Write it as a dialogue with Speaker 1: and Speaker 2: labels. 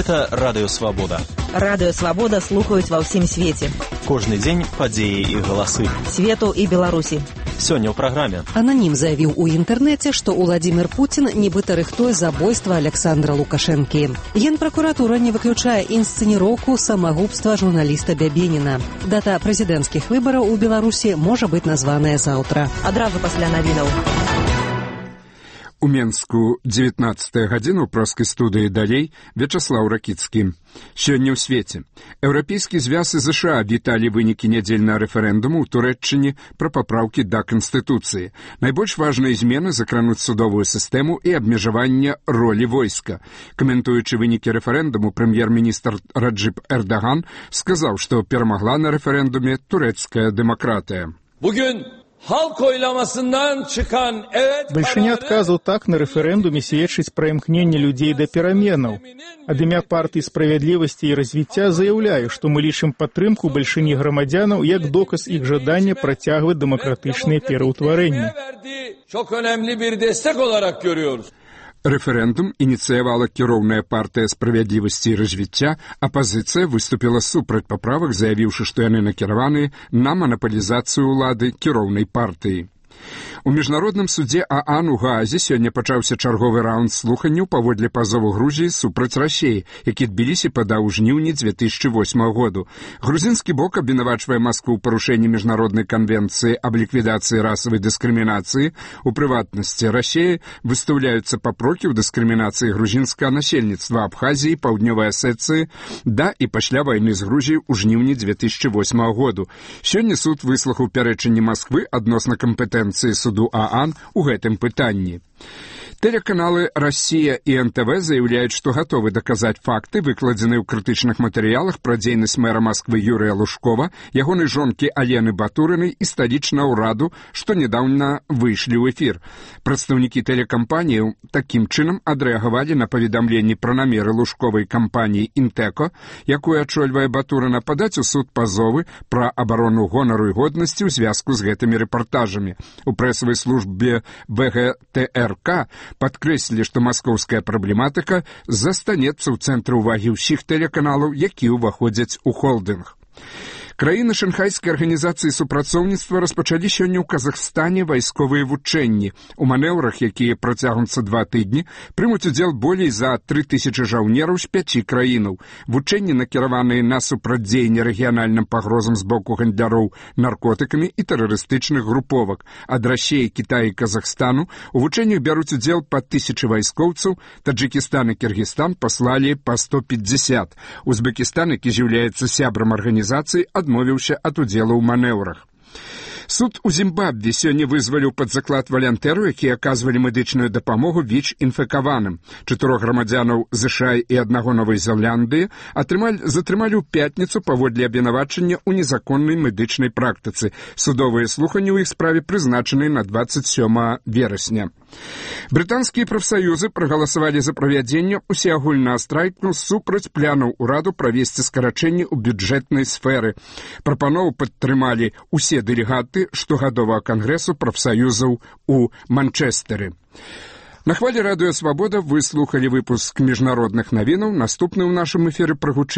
Speaker 1: Гэта Радыё Свабода.
Speaker 2: Радыё Свабода слухаюць ва ўсім свеце.
Speaker 1: Кожны дзень падзеі і галасы.
Speaker 2: Свету і Беларусі.
Speaker 1: Сёння ў праграме.
Speaker 3: Ананім заявіў у інтэрнэце, што Уладзімір Пуцін нібыта рыхтуе забойства Александра Лукашэнкі. Генпракуратура не выключае інсцэніроўку самагубства журналіста Бябеніна. Дата прэзідэнцкіх выбараў у Беларусі можа быць названая заўтра.
Speaker 2: Адразу пасля навінаў.
Speaker 4: У Менску 19-я гадзіна ў проскай студыі «Далей» Вячаслаў Ракіцкі. Сёння ў свеце. Еўрапейскі звяз і ЗША віталі вынікі нядзельнага рэферэндуму ў Турэччыне пра папраўкі да Канстытуцыі. Найбольш важныя змены закрануць судовую сістэму і абмежаванне ролі войска. Каментуючы вынікі рэферэндуму, прэм'ер-міністр Раджып Эрдаган сказаў, што перамагла на рэферэндуме турэцкая дэмакратыя.
Speaker 5: Бальшыня адказаў так на рэферэндуме сведчыць пра імкненне людзей да пераменаў. Ад імя партыі справядлівасці і развіцця заяўляю, што мы лічым падтрымку бальшыні грамадзянаў як доказ іх жадання працягваць дэмакратычныя пераўтварэнні.
Speaker 4: Рэферэндум ініцыявала кіроўная партыя справядлівасці і развіцця, апазіцыя выступіла супраць паправак, заявіўшы, што яны накіраваны на манапалізацыю ўлады кіроўнай партыі. У міжнародным судзе ААН у Гаазе сёння пачаўся чарговы раунд слуханняў паводле пазову Грузіі супраць Расіі, які Тбілісі падаў у жніўні 2008 году. Грузінскі бок абвінавачвае Маскву ў парушэнні міжнароднай канвенцыі аб ліквідацыі расавай дыскрымінацыі. У прыватнасці Расіі выстаўляюцца папрокі ў дыскрымінацыі грузінскага насельніцтва Абхазіі, Паўднёвай Асецыі да і пасля вайны з Грузіяй у жніўні 2008 году. Сёння суд выслухаў пярэчанні Масквы адносна кампетэнцыі суду ААН у гэтым пытанні. Тэлеканалы «Россия» і НТВ заявляюць, што гатовы даказаць факты, выкладзеныя ў крытычных матэрыялах пра дзейнасць мэра Масквы Юрыя Лужкова, ягонай жонкі Алены Батурынай і сталічнага ўраду, што нядаўна выйшлі ў эфір. Прадстаўнікі тэлекампаніяў такім чынам адрэагавалі на паведамленні пра намеры лужковай кампаніі «Інтэко», якую ачольвае Батурына, падаць у суд пазовы пра абарону гонару і годнасці ў звязку з гэтымі рэпартажамі. У прэсавай службе ВГТРК падкрэслілі, што маскоўская праблематыка застанецца ў цэнтры ўвагі ўсіх тэлеканалаў, якія ўваходзяць у холдынг. Краіны Шанхайскай арганізацыі супрацоўніцтва распачалі сёння ў Казахстане вайсковыя вучэнні. У манеўрах, якія працягнуцца 2 тыдні, прымуць удзел болей за 3000 жаўнераў з 5 краінаў. Вучэнні накіраваныя на супрацьдзеянне рэгіянальным пагрозам з боку гандляроў наркотыкамі і тэрарыстычных груповак. Ад Расіі, Кітая і Казахстану у вучэннях бяруць удзел па 1000 вайскоўцаў, Таджыкістан і Кіргізстан паслалі па 150. Узбекістан, які з'яўляецца сябрам арганізацыі, адмовіўся ад удзелу ў манеўрах. Суд у Зімбабве сёння вызваліў пад заклад валянтэраў, якія аказвалі медычную дапамогу ВІЧ-інфекаваным. 4 грамадзянаў ЗША і 1 Новай Зеландыі затрымалі ў пятніцу паводле абвінавачання ў незаконнай медычнай практыцы. Судовыя слуханні ў іх справе прызначаны на 27 верасня. Брытанскія прафсаюзы прагаласавалі за правядзенне усеагульнага страйку супраць планаў ураду правесці скарачэнні ў бюджэтнай сферы. Прапанову падтрымалі усе дэлегаты штогадовага кангрэсу прафсаюзаў у Манчестэры. На хвалі Радыё Свабода вы слухалі выпуск міжнародных навінаў. Наступны ў нашым эфіры прагучыць